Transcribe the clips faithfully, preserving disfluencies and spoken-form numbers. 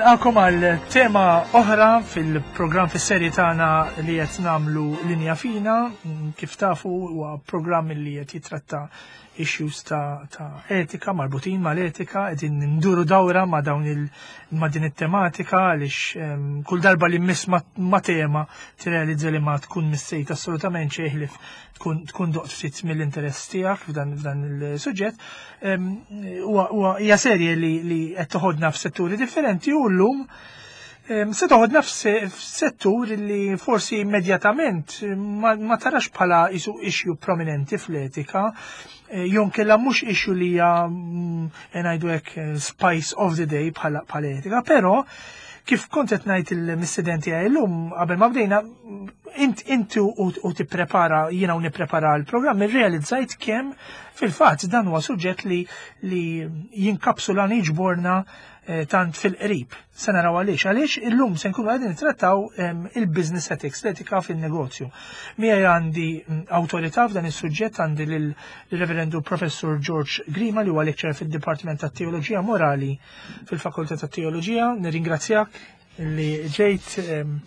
Nilqakom għal tema oħra fil-programm, fis-serje tagħna li qed nagħmlu Linja Fina. Kif tafu, huwa programm li qed jitratta issues ta', ta etika, marbutin mal-etika. Qegħdin nduru dawra ma' dawn il ma' din it-tematika għaliex um, kull darba li miss ma, ma tema tirrealizza li ma tkun missejt assolutament xejn ħlief tkun tkun doqt ftit mill-interess tiegħek f'dan f'dan il-suġġett. Huwa hija serje li li qed toħodna f'setturi differenti u llum se toħodna f'settur li forsi immedjatament ma, ma tarax bħala isu issue prominenti fl-etika, eh, jew inkella mhux issue li hija mm, ngħidu hekk eh, spice of the day bħala bħala etika, però kif kont qed ngħid il-mistedenti għaj llum qabel ma bdejna, int inti u, u tipprepara, jiena u nipprepara l-programm, irrealizzajt kemm fil-fatt dan huwa suġġett li li jinkapsula, jiġborna eh, tant fil-qrib. Se naraw għaliex. Għaliex illum se nkunu qegħdin nittrattaw em, il-business ethics, l-etika fin-negozju. Miegħi għandi mm, awtorità f'dan is-suġġett, għandi lill-Reverendu Professor George Grima, li huwa lecturer fid-Dipartiment tat-Teoloġija Morali fil-Fakultà tat-Teoloġija. Nirringrazzjak li ġejt. em,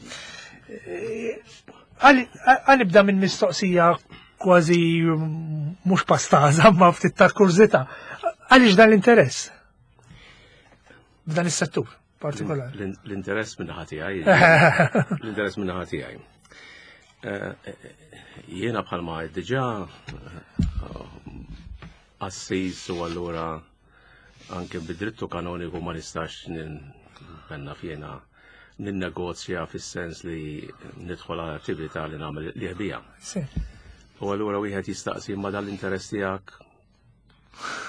eh, Għal nibda minn mistoqsija kważi mm, mhux pastaża, ma ftit ta' kurżità. Għaliex dan l-interess f'dan is-settur partikolari? L- L-interess minn naħa tiegħi. L-interess minn naħa tiegħi. Eh, eh, Jiena bħalma diġà qassis u allura anke bid-drittu kanoniku ma nistax penna fjena ninnegozja fis-sens li nidħol għal attività li nagħmel li ħbija. Sì. U allura wieħed jistaqsi, ma dal-interess tiegħek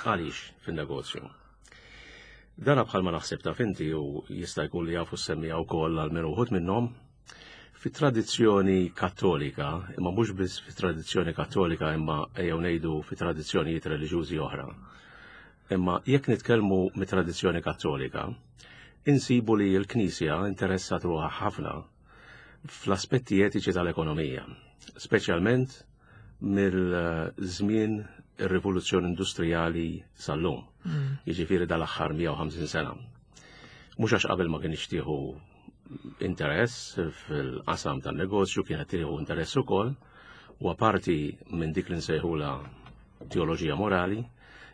għaliex fin-negozju? Dana bħalma naħseb taf inti u jista' jkun li jafu semmija wkoll għal min uħud minnhom fit-tradizzjoni Kattolika, imma mhux biss fit-tradizzjoni Kattolika, imma ejjew ngħidu fit-tradizzjonijiet reliġjużi oħra. Imma jekk nitkellmu mit-tradizzjoni Kattolika, insibu li l-Knisja interessat ruħha ħafna fl-aspetti etiċi tal-ekonomija, speċjalment mill-żmien ir-rivoluzzjoni industrijali sal-lum. Jiġifieri dal-aħħar mija u ħamsin sena. Mhux għax qabel ma kienx tieħu interess fil-qasam tan-negozju, kienet tieħu interess ukoll, u parti minn dik li nsejħula teoloġija morali,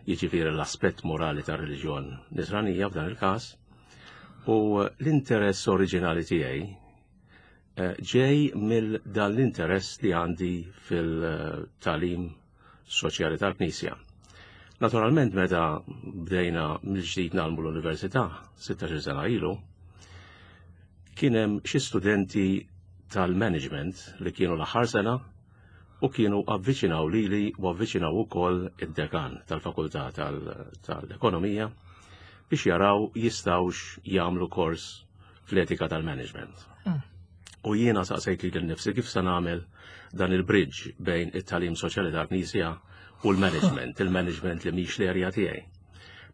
jiġifieri l-aspett morali tar-reliġjon Nisranija f'dan il-każ, u l-interess oriġinali tiegħi eh, ġej mill dan l-interess li għandi fil-tagħlim soċjali tal-Knisja. Naturalment, meta bdejna mill-ġdid ngħallmu l-università sittax-il sena ilu, kien hemm xi studenti tal-management li kienu l-aħħar sena u kienu avviċinaw lili u avviċinaw ukoll id-dekan tal-Fakultà tal-Ekonomija biex jaraw jistawx jagħmlu kors fl-etika tal-management. U jiena saqsejt lili nnifsi kif se nagħmel dan il-bridge bejn it-tagħlim soċjali tal-Knisja u l-management, il-management li mhix l-area tiegħi.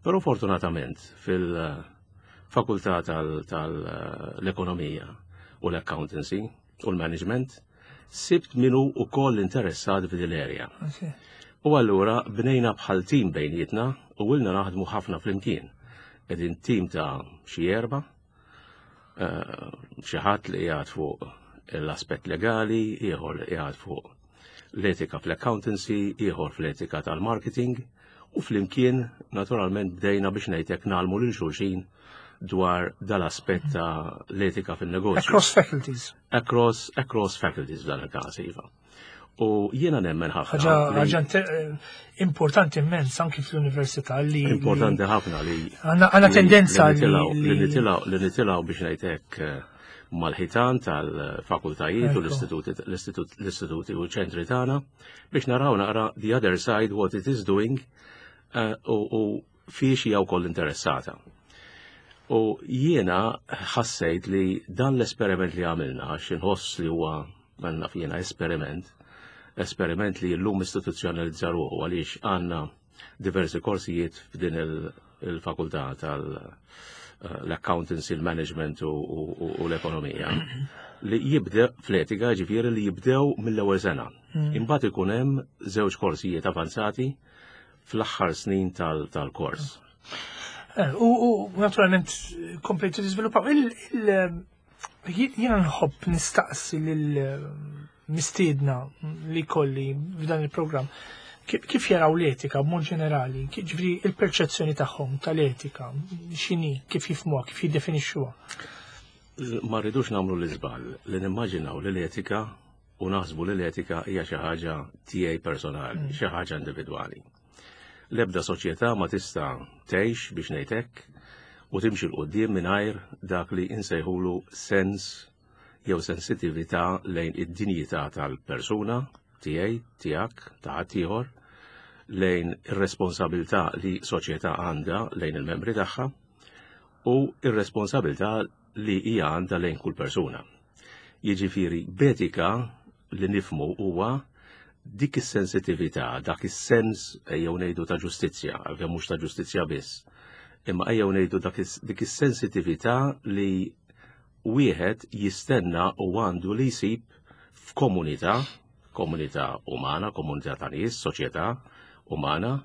Però fortunatament fil-fakultà tal-ekonomija u l-accountancy u l-management sibt minu ukoll interessat f'din l-area. U allura bnejna bħal tim bejnietna u ilna naħdmu ħafna flimkien. Qegħdin tim ta' xi erba, eh, xi ħadd li qiegħed fuq l-aspett legali, ieħor li qiegħed fuq l-etika fl-accountancy, ieħor fl-etika tal-marketing, u flimkien naturalment bdejna biex ngħidlek ngħallmu lil xulxin dwar dal-aspett ta' l-etika fil-negozju. Across faculties. Across, across faculties f'dan il-każ, iva. U jiena nemmen ħafna. Ħaġa ħaġa importanti immens anki fl-università li. Importanti ħafna li. Għandna tendenza li. Li nitilgħu biex ngħidlek eh, mal-ħitan tal-fakultajiet u l-istituti u ċentri tagħna biex naraw naqra the other side, what it is doing eh, u fiex hija wkoll interessata. U jiena ħassejt li dan l-esperiment li għamilna, għax inħoss li huwa għandna fjena esperiment, esperiment li l-lum istituzzjonalizza ruħu għaliex għandna diversi korsijiet f'din il-fakultà tal-accountancy, il-management u l-ekonomija li jibdew fl-etika, ġifieri li jibdew mill-ewwel sena. Mm. Imbagħad ikun hemm żewġ korsijiet avanzati fl-aħħar snin tal-kors. Eh, u naturalment komplejtu tiżviluppaw. Jiena nħobb nistaqsi lil mistiedna li kelli f'dan il-programm kif jaraw l-etika b'mod ġenerali, ġifieri il-perċezzjoni tagħhom tal-etika, x'inhi, kif jifhmuha, kif jiddefinixxuha. Ma rridux nagħmlu l-iżball li nimmaġinaw li l-etika u naħsbu li l-etika hija xi ħaġa tiegħi personali, mm. xi ħaġa individwali. L-ebda soċjetà ma tista' tgħix, biex ngħidlek, u timxi 'l quddiem mingħajr dak li insejħulu sens jew sensitività lejn id-dinjità tal-persuna tiegħi, tiegħek, ta' ħaddieħor, lejn ir-responsabilità li soċjetà għandha lejn il-membri tagħha u ir-responsabilità li hija għandha lejn kull persuna. Jiġifieri b'etika li nifhmu huwa dik is-sensitività, dak is-sens, ejjew ngħidu, ta' ġustizzja, għalkemm mhux ta' ġustizzja biss, imma ejjew ngħidu dik is-sensitività li wieħed jistenna u għandu li jsib f'komunità, komunità umana, komunità ta' nies, soċjetà umana,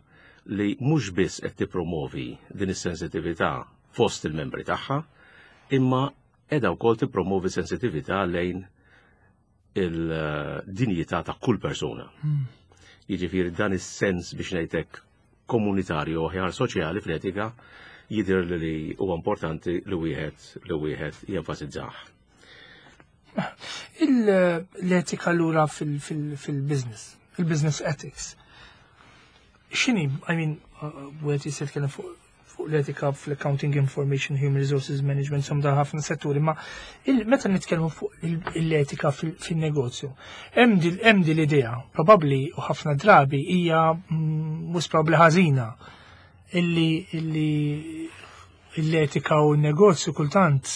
li mhux biss qed tippromovi din is-sensitività fost il-membri tagħha, imma qiegħda wkoll tippromovi sensitività lejn il-dinjità ta' kull persuna. Hmm. Jiġifieri dan is-sens, biex ngħidlek, komunitarju, aħjar soċjali, fl-etika jidher li huwa importanti li wieħed li wieħed jenfasizzah. L-etika lura fil-business, il-business ethics. X'inhi, I mean, wieħed jista' jitkellem fuq fuq l-etika fl-accounting, information, human resources management, insomma ħafna setturi, ma meta nitkellmu fuq l-etika fil-negozju, hemm din l-idea, probabbli u ħafna drabi hija mm, mhux probabbli ħażina, illi illi l-etika u n-negozju kultant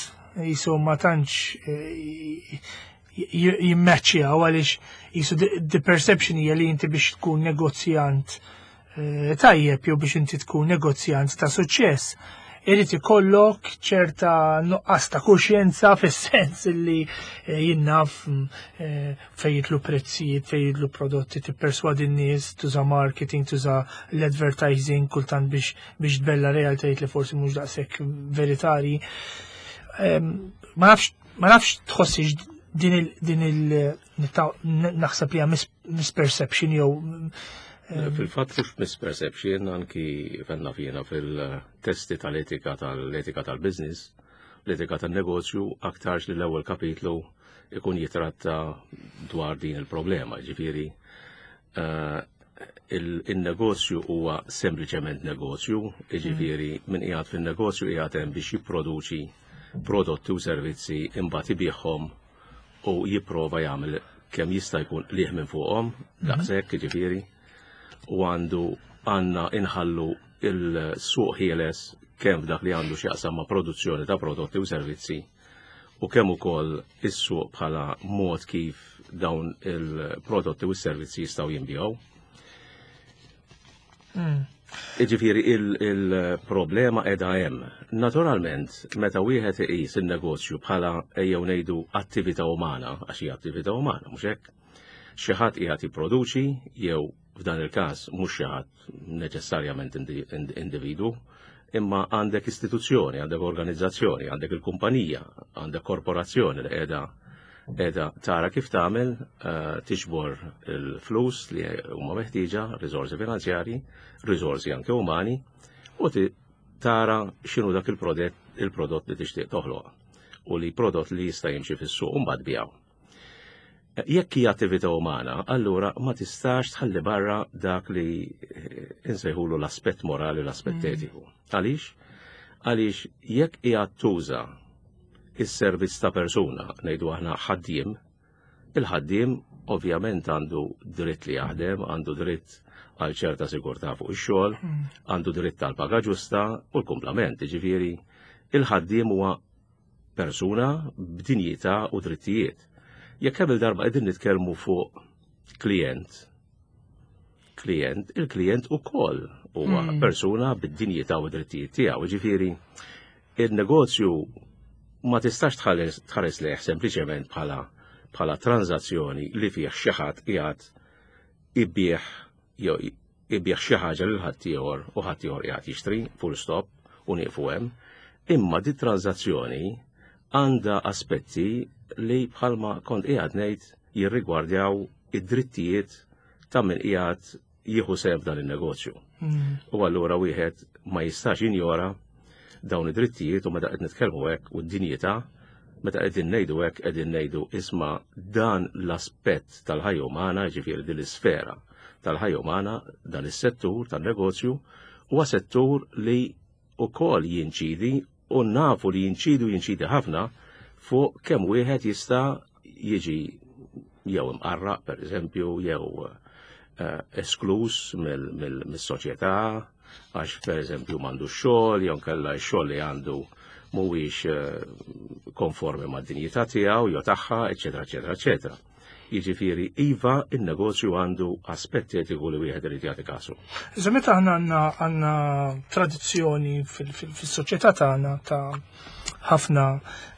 jisu ma tantx eh, jimmeċċjaw, għaliex jisu the perception hija li inti biex tkun negozjant eh, tajjeb jew biex inti tkun negozjant ta' suċċess, irid ikollok ċerta nuqqas ta' kuxjenza, fis-sens li eh, jien naf mm, fejn jidħlu prezzijiet, fejn jidħlu prodotti, tipperswadi n-nies, tuża marketing, tuża l-advertising kultant biex biex tbella' realtajiet li forsi mhux daqshekk veritari. Ma nafx ma nafx tħossix din il din il naħseb li misperception jew Fil-fatt mhux misperception, anki fenna fjena fil-testi tal-etika tal-etika tal-business, l-etika tal-negozju, aktarx li l-ewwel kapitlu ikun jitratta dwar din il-problema, ġifieri eh, il-negozju huwa sempliċement negozju, ġifieri min qiegħed fin-negozju qiegħed hemm biex jipproduċi prodotti u servizzi, imbagħad ibigħhom u jipprova jagħmel kemm jista' jkun qligħ minn fuqhom, daqshekk ġifieri, u għandu għandna inħallu il-suq ħieles kemm f'dak li għandu x'jaqsam ma' produzzjoni ta' prodotti u servizzi u kemm ukoll is-suq bħala mod kif dawn il-prodotti u s-servizzi jistgħu jinbiegħu. Mm. Iġifieri il-problema qiegħda hemm. Naturalment, meta wieħed iqis in-negozju bħala, ejjew ngħidu, attività umana, għax hija attività umana, mhux hekk? Xi ħadd qiegħed jipproduċi jew, f'dan il-każ, mhux xi ħadd neċessarjament individwu, imma għandek istituzzjoni, għandek organizzazzjoni, għandek il-kumpanija, għandek korporazzjoni li qiegħda qiegħda tara kif tagħmel eh, tiġbor il-flus li huma meħtieġa, riżorsi finanzjarji, riżorsi anke umani, u tara x'inhu dak il-prodott il-prodott li tixtieq toħloq u li prodott li jista' jimxi fis-suq u mbagħad tbigħu. Jekk hija attività umana, allura ma tistax tħalli barra dak li eh, insejħulu l-aspett morali, l-aspett mm. etiku. Għaliex? Għaliex jekk hija tuża is-servizz ta' persuna, ngħidu aħna ħaddiem, il-ħaddiem ovvjament għandu dritt li jaħdem, għandu dritt għal ċerta sigurtà fuq ix-xogħol, mm. għandu dritt għal paga ġusta u l-kumplament, ġifieri il-ħaddiem huwa persuna b'dinjità u drittijiet. Jekk hemm il-darba qegħdin nitkellmu fuq klient, klient, il-klient ukoll huwa mm. persuna bid-dinjità u drittijiet tiegħu, ġifieri il-negozju ma tistax tħares lejh sempliċement bħala bħala tranzazzjoni li fih xi ħadd qiegħed ibigħ jew ibigħ xi ħaġa lil ħaddieħor u ħaddieħor qiegħed jixtri, full stop, u nieqfu hemm, imma di tranzazzjoni għandha aspetti li bħalma kont qiegħed ngħid jirrigwardjaw id-drittijiet ta' min qiegħed jieħu sehem f'dan in-negozju. Mm. U allura wieħed ma jistax jinjora dawn id-drittijiet, u meta qed nitkellmu hekk u d-dinjità, meta qegħdin ngħidu hekk, qegħdin ngħidu, isma', dan l-aspett tal-ħajja umana, ġifieri din l-isfera tal-ħajja umana, dan is-settur tan-negozju huwa settur li wkoll jinċidi, u nafu li jinċidu, jinċidi ħafna fuq kemm wieħed jista' jiġi jew imqarraq, per eżempju, jew eh, esklus mill-soċjetà għax, per eżempju, m'għandu xogħol, jew kella x-xogħol li għandu mhuwiex eh, konformi mad-dinjità tiegħu jew tagħha, eċetera, eċetera, eċetera. Jiġifieri iva, in-negozju għandu aspett etiku li wieħed irid jagħti kasu. Iżda meta aħna għandna għandna tradizzjoni fis-soċjetà tagħna ta' ħafna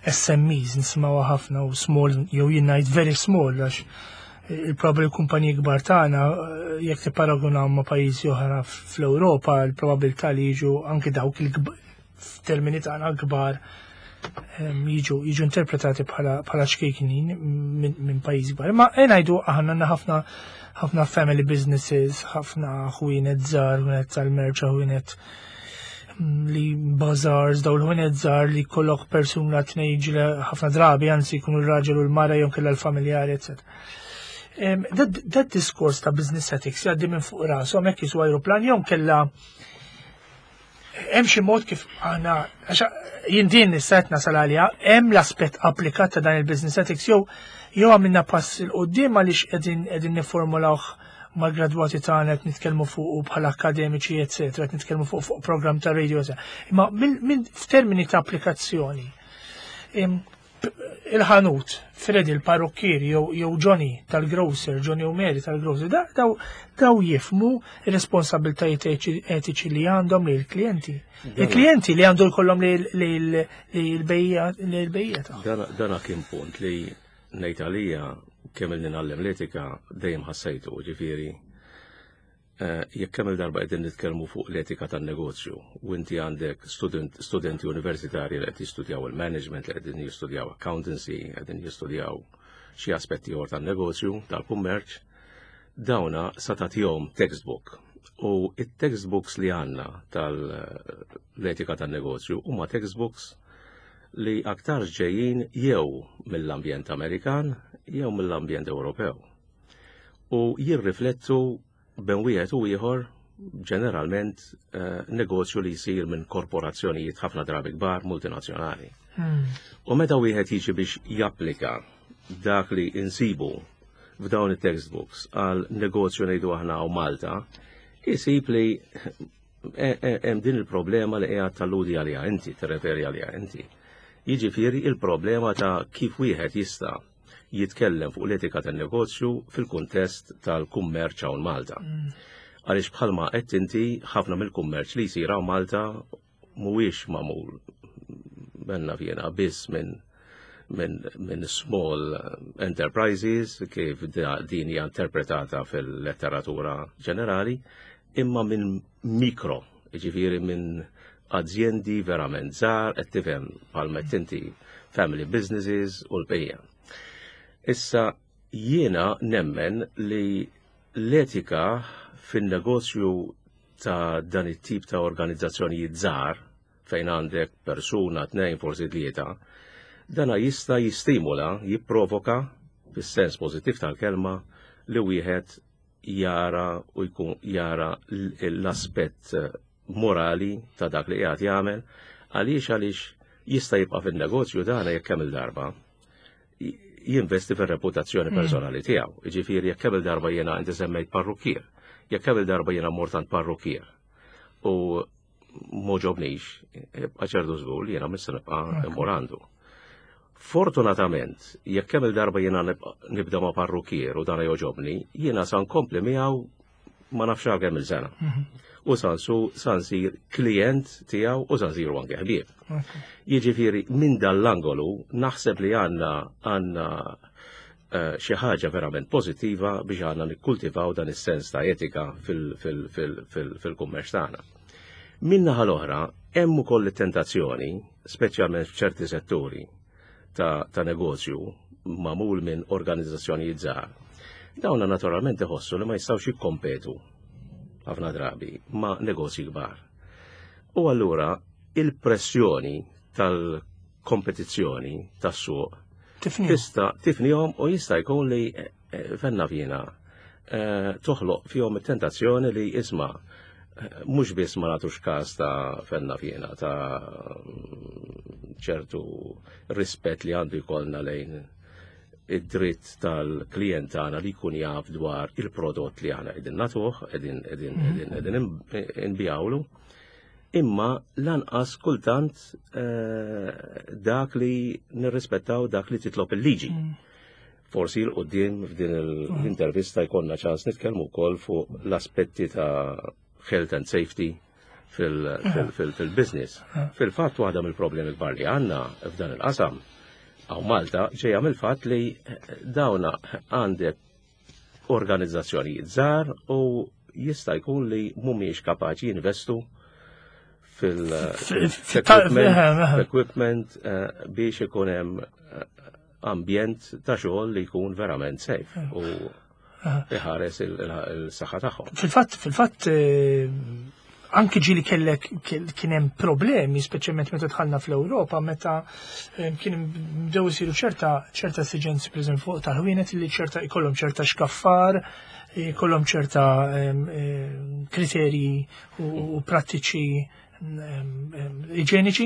S M Es, nisimgħuha ħafna, u small, jew jien ngħid very small, għax il-probabli kumpaniji kbar tagħna, jekk tipparagunaw ma' pajjiżi oħra fl-Ewropa, il-probabilità li jiġu anke dawk il f'termini tagħna kbar jiġu jiġu interpretati bħala ċkejknin minn pajjiż kbar. Ma ngħidu aħna għandna ħafna ħafna family businesses, ħafna ħwienet żgħar, ħwienet tal-merċa, ħwienet mm, li bazaars, daw l-ħwienet żgħar li kollok persuna, tnejn, ħafna drabi anzi jkunu r-raġel u l-mara jew kellha l-familjari, eċċetera. Dat diskors ta' business ethics jgħaddi minn fuq rashom hekk jisu aeroplan, jew kella hemm xi mod kif aħna, għax jien din nista' nasal għalija, hemm l-aspett applikat ta' dan il-business ethics, jew jew għamilna pass 'il quddiem għaliex qegħdin qegħdin nifformulawh mal-gradwati tagħna, qed nitkellmu fuq bħala akademiċi, eċetera, qed nitkellmu fuq fuq programm ta' radio. Imma minn f'termini ta' applikazzjoni, il-ħanut, Freddy il-parrukkier jew Johnny tal-grocer, Johnny u Mary tal-grocer, daw daw jifhmu ir-responsabiltajiet etiċi li għandhom li l-klijenti. Il-klijenti li għandu jkollhom li l-bejja. Dana kien punt li ngħid għalija kemm ilni ngħallem l-etika dejjem ħassejtu, ġifieri eh, jekk kemm il-darba qegħdin nitkellmu fuq l-etika tan-negozju u inti għandek student, studenti universitarji li qed jistudjaw il-management, li qegħdin jistudjaw accountancy, qegħdin jistudjaw xi aspetti oħra tan-negozju, tal-kummerċ, dawna sa tagħtihom textbook. U it-textbooks li għandna tal-etika tan-negozju huma textbooks li aktar ġejjin jew mill-ambjent Amerikan jew mill-ambjent Ewropew. U jirriflettu bejn wieħed u ieħor ġeneralment eh, negozju li jsir minn korporazzjonijiet ħafna drabi kbar, multinazzjonali. Hmm. U meta wieħed jiġi biex japplika dak li insibu f'dawn it-textbooks għal negozju, ngħidu aħna, u Malta, isib li e- e- hemm din il-problema li qiegħed talludi għaliha inti, tirreferi għaliha inti. Jiġifieri il-problema ta' kif wieħed jista' jitkellem fuq l-etika tan-negozju fil-kuntest tal-kummerċ hawn Malta. Għaliex bħalma qed inti, ħafna mill-kummerċ li jsir hawn Malta mhuwiex magħmul benna fjena biss minn minn min small enterprises kif din hija interpretata fil-letteratura ġenerali, imma minn mikro, ġifieri minn azjendi verament żgħar, qed tifhem, bħalma inti family businesses u l-bqija. Issa jiena nemmen li l-etika fin-negozju ta' dan it-tip ta' organizzazzjonijiet żgħar fejn għandek persuna, tnejn, forsi tlieta, dana jista' jistimula, jipprovoka, fis-sens pożittiv tal-kelma, li wieħed jara u jkun jara l-aspett morali ta' dak li qiegħed jagħmel. Għaliex għaliex jista' jibqa' fin-negozju dana jekk kemm il-darba jinvesti fir-reputazzjoni mm. personali tiegħu. Jiġifieri jekk kemm il-darba jiena, inti semmejt parrukkier, jekk kemm il-darba jiena mort għand parrukkier u m'għoġobnix, ċertu żgur li jiena mhux se nibqa' immur għandu. Fortunatament, jekk kemm il-darba jiena nibda ma' parrukkier u dana jogħġobni, jiena sa nkompli miegħu ma nafx kemm il-sena. Mhm. U sansu sansir klient tiegħu u sansiru anke ħbieb. Jiġifieri minn dal-angolu naħseb li għandna għandna eh, xi ħaġa verament pożittiva biex għandna nikkultivaw dan is-sens ta' etika fil-kummerċ tagħna. Min-naħa l-oħra, hemm ukoll it-tentazzjoni, speċjalment f'ċerti setturi ta', ta negozju magħmul minn organizzazzjonijiet żgħar. Dawna naturalment iħossu li ma jistgħux jikkompetu ħafna drabi ma' negozji kbar. U allura il-pressjoni tal-kompetizzjoni tas-suq tista' tifnihom u jista' jkun li eh, eh, fenna fina eh, toħloq fihom it-tentazzjoni li isma' mhux biss ma nagħtux każ ta' fenna fjena ta' ċertu rispett li għandu jkollna lejn id-dritt tal-klient tagħna li jkun jaf dwar il-prodott li aħna qegħdin nagħtuh, qegħdin qegħdin qegħdin qegħdin inbijawlu. Imma lanqas kultant eh, dak li nirrispettaw dak li titlob il-liġi. Forsi 'l quddiem f'din l-intervista jkollna ċans nitkellmu wkoll fuq l-aspetti ta' health and safety fil-business. Fil-fatt, waħda mill-problemi kbar li għandna f'dan il-qasam hawn Malta ġejja mill-fatt li dawna għandek organizzazzjonijiet żgħar u jista' jkun li mhumiex kapaċi jinvestu fil-equipment eh, biex ikun hemm eh, ambjent ta' xogħol li jkun verament safe u iħares il-saħħa tagħhom. Fil-fatt, fil-fatt, eh, anki ġieli kellek kien hemm problemi, speċjalment meta dħalna fl-Ewropa, meta eh, kien bdew isiru ċerta ċerta esiġenzi, pereżempju fuq tal-ħwienet, li ċerta jkollhom ċerta xkaffar, jkollhom ċerta eh, kriterji u prattiċi iġeniċi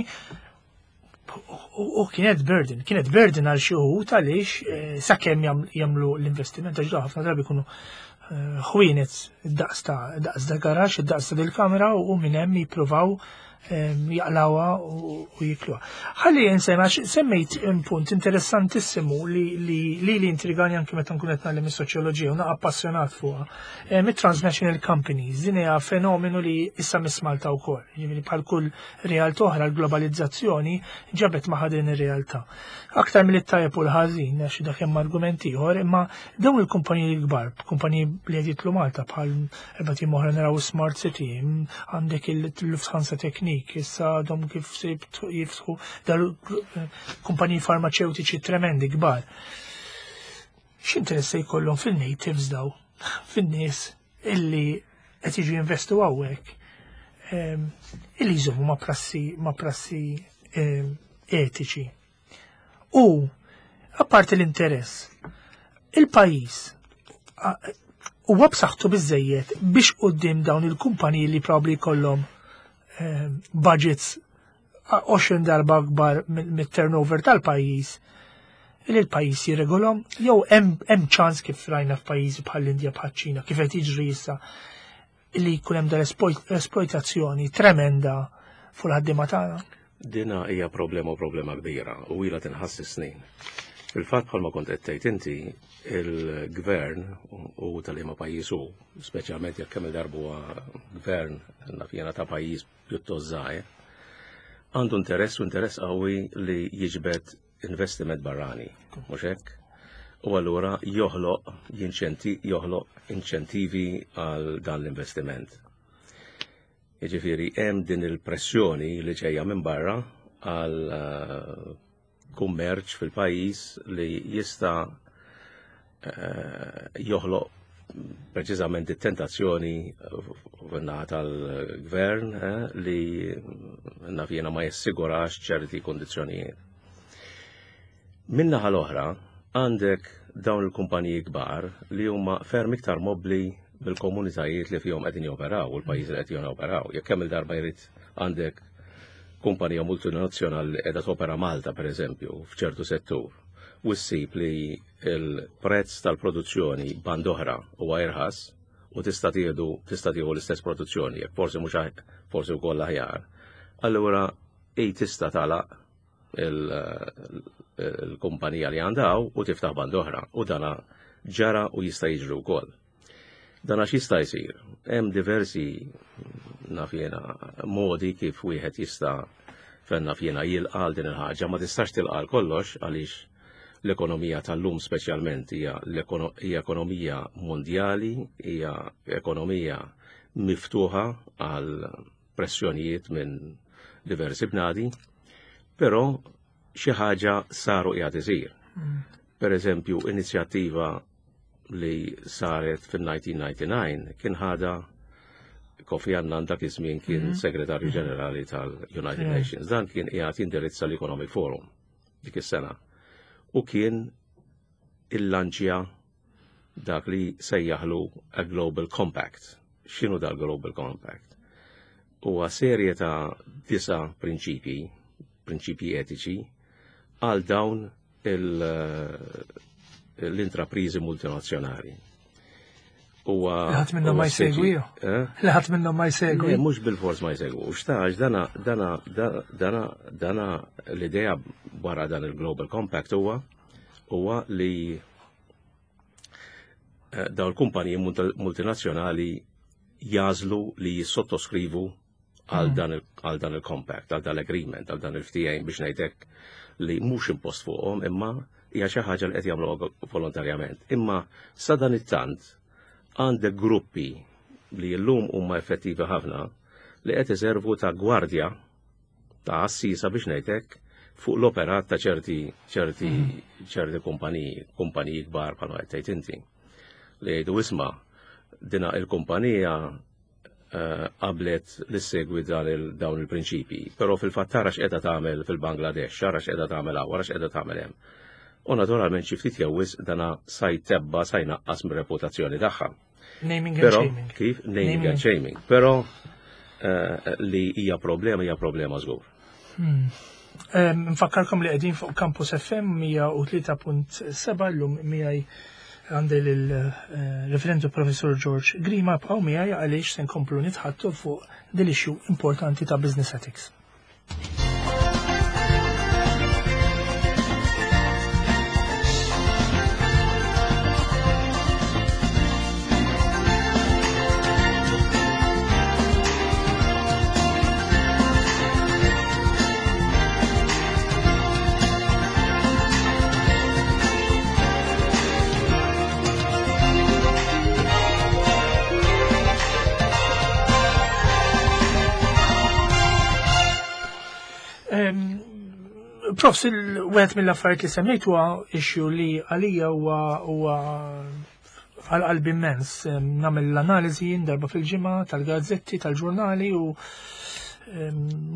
u kienet burden, kienet burden għal xi wħud għaliex eh, sakemm jagħmlu l-investiment, għax ħafna drabi jkunu eh, ħwienet daqs ta' daqs ta' garaxx, daqs ta' dil-kamera, u minn hemm jippruvaw jaqlawha u jikluha. Ħalli nsemma, semmejt punt interessantissimu li li li intrigani anke meta nkun qed nagħlem is-soċjoloġija u naqa' appassjonat fuqha. Mit-transnational companies, din hija fenomenu li issa miss Malta wkoll. Jiġifieri bħal kull realtà oħra, l-globalizzazzjoni ġabet magħha din ir-realtà. Aktar mill-tajjeb u l-ħażin, għax dak hemm argument ieħor, imma dawn il-kumpaniji l-kbar, kumpaniji li qed jidħlu Malta bħal erbat ijiem oħra naraw Smart City, għandek il-Lufthansa Technik, issa għadhom kif se jiftħu dal kumpaniji farmaceutiċi tremendi kbar. X'interess se jkollhom fil-natives daw, fin-nies illi qed jiġu jinvestu hawnhekk, illi jżommu ma' prassi ma' prassi etiċi? U apparti l-interess, il-pajjiż huwa b'saħħtu biżejjed biex quddiem dawn il-kumpaniji li probabbli jkollhom budgets għoxrin darba akbar mit-turnover tal-pajjiż, li l-pajjiż jirregolhom, jew hemm ċans, kif rajna f'pajjiżi bħall-Indja, bħaċ-Ċina, kif qed jiġri issa, li jkun hemm dal-esploitazzjoni tremenda fuq il-ħaddiema tagħna? Dina hija problema u problema kbira u ilha tinħass snin. Fil-fatt, bħalma kont qed tgħid inti, il-gvern u tal-liema pajjiż hu, speċjalment jekk kemm il-darba huwa gvern naf jiena ta' pajjiż pjuttost żgħir, għandu interess u interess qawwi li jiġbed investiment barrani, mhux hekk? U allura joħloq jinċenti joħloq inċentivi għal dan l-investiment. Jiġifieri hemm din il-pressjoni li ġejja minn barra għal eh, kummerċ fil-pajjiż li jista' eh, joħloq preċiżament it-tentazzjoni naħa tal-gvern eh, li naf jiena ma jassigurax ċerti kondizzjonijiet. Min-naħa l-oħra, għandek dawn il-kumpaniji kbar li huma ferm iktar mobbli bil-komunitajiet li fihom qegħdin joperaw u l-pajjiż li qed joperaw. Jekk kemm il-darba jrid għandek kumpanija multinazzjonali li qiegħda topera Malta, pereżempju, f'ċertu settur, u ssib li il-prezz tal-produzzjoni band oħra huwa irħas u tista' tieħdu tista' tieħu l-istess produzzjoni, jekk forsi mhux forsi wkoll aħjar. Allura ej tista' tagħlaq il-kumpanija li għandha u tiftaħ band oħra, u dana ġara u jista' jiġri wkoll. Dan għax jista' jsir. Hemm diversi, naf jiena, modi kif wieħed jista' fenna fjena jilqa' din il-ħaġa. Ma tistax tilqa' kollox għaliex l-ekonomija tal-lum speċjalment hija hija ekonomija mondjali, hija ekonomija miftuħa għal pressjonijiet minn diversi bnadi, però xi ħaġa saru qiegħed isir. Mm. Per eżempju, inizjattiva li saret fil-elf disa' mija u disgħa u disgħin kien ħada Kofi Annan, dak iż-żmien kien mm -hmm. segretarju mhm. ġenerali tal-United yeah. Nations. Dan kien qiegħed jindirizza l-Economic Forum dik is-sena. U kien illanċja dak li sejjaħlu a Global Compact. X'inhu dal Global Compact? Huwa serje ta' disa prinċipji, prinċipji etiċi, għal dawn l-intraprizi multinazzjonali. Huwa Ħadd minnhom ma jsegwi. Eh? Ħadd minnhom ma jsegwi. Mhux bil-fors ma jsegwu. Xtax dana dana dana dana l-idea wara dan il-Global Compact huwa huwa li eh, daw l-kumpaniji multinazzjonali jagħżlu li jissottoskrivu għal mm. dan dan il-compact, għal dan l-agreement, għal dan il-ftehim, biex ngħidlek, li mhux impost fuqhom, imma hija xi ħaġa li qed jagħmlu volontarjament. Imma sa dan it-tant għandek gruppi li llum huma effettivi ħafna li qed iservu ta' gwardja, ta' assisa biex ngħidlek, fuq l-operat ta' ċerti ċerti mm. ċerti kumpaniji, kumpaniji kbar bħalma qed tgħid inti. Li jgħidu, "Isma', dina il-kumpanija eh, qablet li segwi dawn il-prinċipi, però fil-fatt tara x'qiegħda tagħmel fil-Bangladesh, tara x'qiegħda tagħmel hawn, wara x'qiegħda tagħmel hemm." U naturalment xi ftit jew wisq dana sa jtebba', sa jnaqqas mir-reputazzjoni tagħha. Naming and shaming. Kif? Naming and shaming. Però eh, li hija problema, hija problema żgur. Hmm. Nfakkarkom li qegħdin fuq Campus F M mija u tlieta punt seba'. Llum miegħi għandi l-referendu Professor George Grima. Bqgħu miegħi għaliex se nkomplu nitħaddtu fuq dil-issue importanti ta' business ethics. Profs, il-wieħed mill-affarijiet li semmejt huwa issue li għalija huwa huwa għal qalbi immens. Nagħmel l-analiżi darba fil-ġimgħa tal-gazzetti, tal-ġurnali u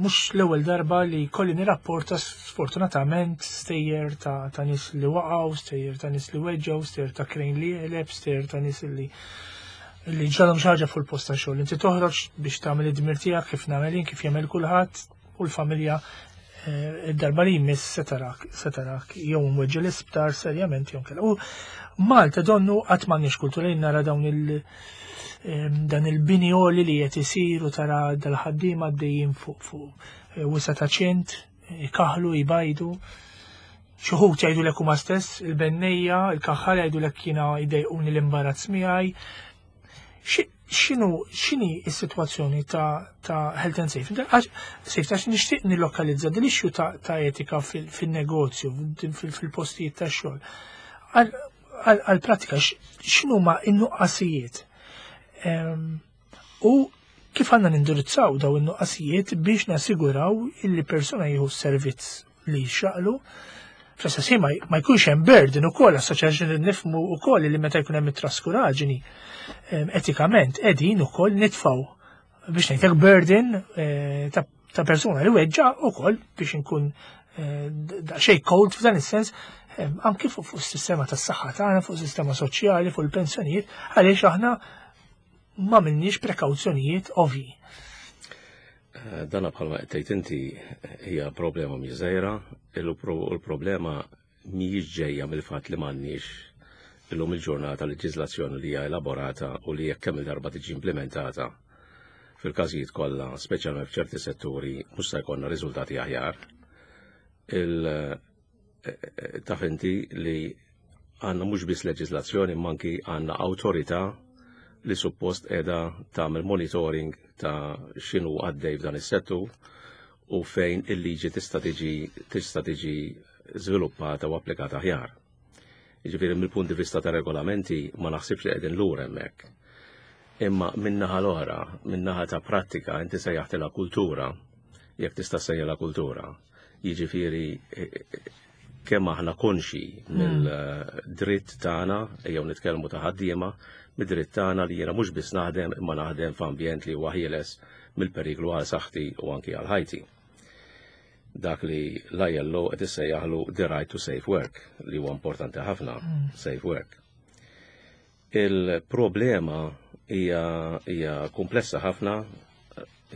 mhux l-ewwel darba li kolli nirrapporta sfortunatament stejjer ta', ta' nies li waqgħu, stejjer ta' nies li weġġgħu, stejjer ta' crane li qeleb, stejjer ta' nies li li ġralhom xi ħaġa fuq il-post ta' xogħol. Inti toħroġ biex tagħmel id-dmir tiegħek kif nagħmel jien, kif jagħmel kulħadd u l-familja eh, id-darba li jmiss se tarak, se tarak jew mweġġa' l-isptar serjament jew kella. U Malta donnu qatt m'għandniex kultura. Jien nara dawn il- dan il-bini għoli li qed isir u tara dal-ħaddiema għaddejjin fuq fuq eh, wisa ta' ċint, ikaħlu, jbajdu. Xi wħud jgħidulek huma stess, il-bennejja, il-kaħħal jgħidulek, "Jiena jdejquni l-imbarazz miegħi." X'inhu x'inhi s-sitwazzjoni ta', ta health and safety? Safety, għax nixtieq nillokalizza din issue ta', ta etika fil-negozju, fil-postijiet ta' xogħol. Għal-pratika, x'inhuma in-nuqqasijiet? U kif għandna nindirizzaw daw in-nuqqasijiet biex nassiguraw illi persuna jieħu s-servizz li jixraqlu, fl-istess ma jkunx hemm burden ukoll assoċjazzjoni? Nifhmu ukoll li meta jkun hemm it-traskuraġini, etikament qegħdin ukoll nitfgħu, biex ngħidlek, burden eh, ta' persuna li weġġa' ukoll, biex inkun eh, daqsxejn cold f'dan is-sens, anki fuq is-sistema tas-saħħa tagħna, fuq is-sistema soċjali, fuq il-pensjonijiet, għaliex aħna ma minniex prekawzjonijiet ovvi. Eh, dana bħalma qed inti hija problema mhix żgħira, il-problema mhijiex ġejja mill-fatt li m'għandniex illum il-ġurnata leġiżlazzjoni li hija elaborata u li jekk kemm il-darba tiġi implementata fil-każijiet kollha, speċjalment f'ċerti setturi, mhux se jkollna riżultati aħjar. Il eh, eh, taf inti li għandna mhux biss leġiżlazzjoni, manki għandna awtorità li suppost qiegħda tagħmel monitoring ta' x'inhu għaddej f'dan is-settur u fejn il-liġi tista' tiġi tista' tiġi żviluppata u applikata aħjar. Jiġifieri mill-punt di vista ta' regolamenti ma naħsibx li qegħdin lura hemmhekk. Imma min-naħa l-oħra, min-naħa ta' prattika, inti sejjaħtilha kultura, jekk tista' sejjaħla kultura. Jiġifieri eh, eh, kemm aħna konxi mill-dritt tagħna, ejjew nitkellmu ta' ħaddiema, mid-dritt tagħna li jiena mhux biss naħdem imma naħdem f'ambjent li huwa ħieles mill-periklu għal saħħti u anki għal ħajti. Dak li l-I L O qed issejjaħlu the right to safe work, li huwa importanti ħafna, safe work. Il-problema hija hija komplessa ħafna,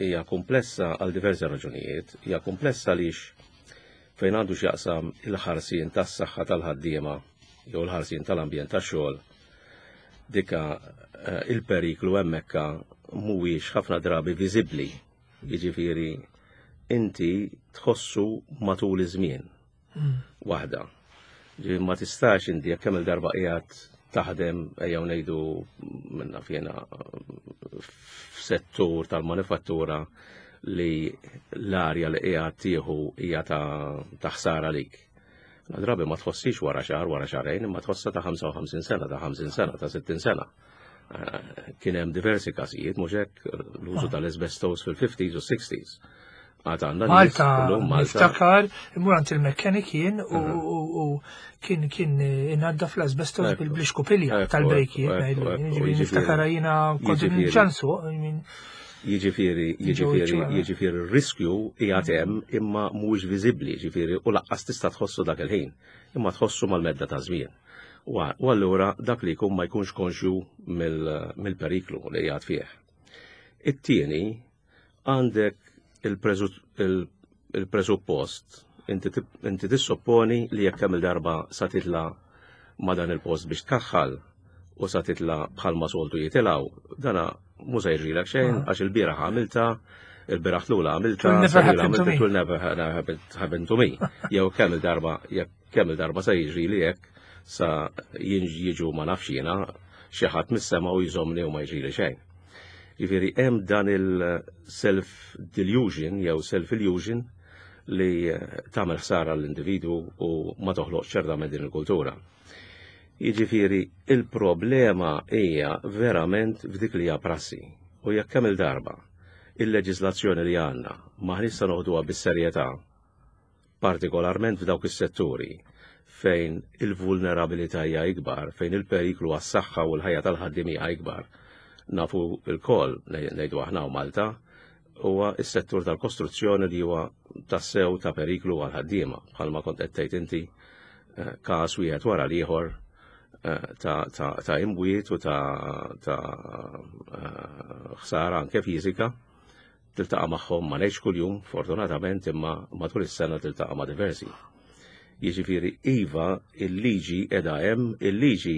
hija komplessa għal diversi raġunijiet, hija komplessa għaliex fejn għandu x'jaqsam il-ħarsien tas-saħħa tal-ħaddiema jew il-ħarsien tal-ambjent tax-xogħol, dika eh, il-periklu hemmhekk mhuwiex ħafna drabi viżibbli. Jiġifieri inti tħossu matul iż-żmien. Waħda. Ġifieri ma tistax inti jekk kemm il-darba qiegħed taħdem, ejjew ngħidu minna fjena f'settur tal-manifattura li l-arja li qiegħed tieħu hija ta' ta' ħsara lik. La drabi ma tħossix wara xahar, wara xahrejn, imma tħossa ta' ħamsa u ħamsin sena, ta' ħamsin sena, ta' sittin sena. Eh, Kien hemm diversi każijiet, mhux hekk, l-użu tal-asbestos fil-fifties u sixties. Għad għandna nies Malta, illum Malta. Niftakar, immur għand il-mekkanik jien u u- u kien kien inaddaf l-asbestos Ekku. bil-xkupilja Ekku, tal-brejkijiet. ekku, ekku, ekku, Ġifieri jiġifieri- niftakar jiena kont jiġifieri- ġansu. Jiġifieri, jiġifieri, ġewwa. Jiġifieri r-riskju qiegħed hemm imma mhuwiex viżibbli, jiġifieri u lanqas tista' tħossu dak il-ħin, imma tħossu mal-medda ta' żmien. U u allura dak li jkun ma jkunx konxju mill- mill-periklu li qiegħed fih. It-tieni, għandek il-preżu- il- il-presuppost, inti tip- inti tissopponi li jekk kemm il-darba sa titla ma dan il-post biex tkaħħal u sa titla bħalma soltu jitilgħu, dana mhux se jiġrilek xejn għax il-bieraħ għamilta, il-bieraħ tlula għamilta, It will never sena happen to għamilta, me. it will never happen happen to me. Jew kemm il-darba, jekk kemm il-darba sa jiġri li jekk sa jiġu, ma nafx jiena, xi ħadd mis-sema u jżomni u ma jiġri xejn. Jiġifieri hemm dan il-self delusion jew self illusion li eh, tagħmel ħsara l-individwu u ma toħloq ċertament din il-kultura. Jiġifieri il-problema hija verament f'dik li hija prassi. U jekk kemm il-darba il-leġislazzjoni li għandna m'aħniex se noħduha bis-serjetà, partikolarment f'dawk is-setturi fejn il-vulnerabilità hija ikbar, fejn il-periklu għas-saħħa u l-ħajja tal-ħaddiem hija ikbar. Nafu lkoll, ngħidu aħna u Malta, huwa s-settur tal-kostruzzjoni li huwa tassew ta' periklu għal ħaddiema, bħalma kont qed tgħid inti, eh, każ wieħed wara l-ieħor eh, ta' ta' ta' imwiet u ta' ta' eh, ħsara anke fiżika tiltaqa' magħhom, ma ngħidx kuljum, fortunatament, imma matul is-sena tiltaqa' ma' diversi. Jiġifieri iva, il-liġi qiegħda hemm, il-liġi,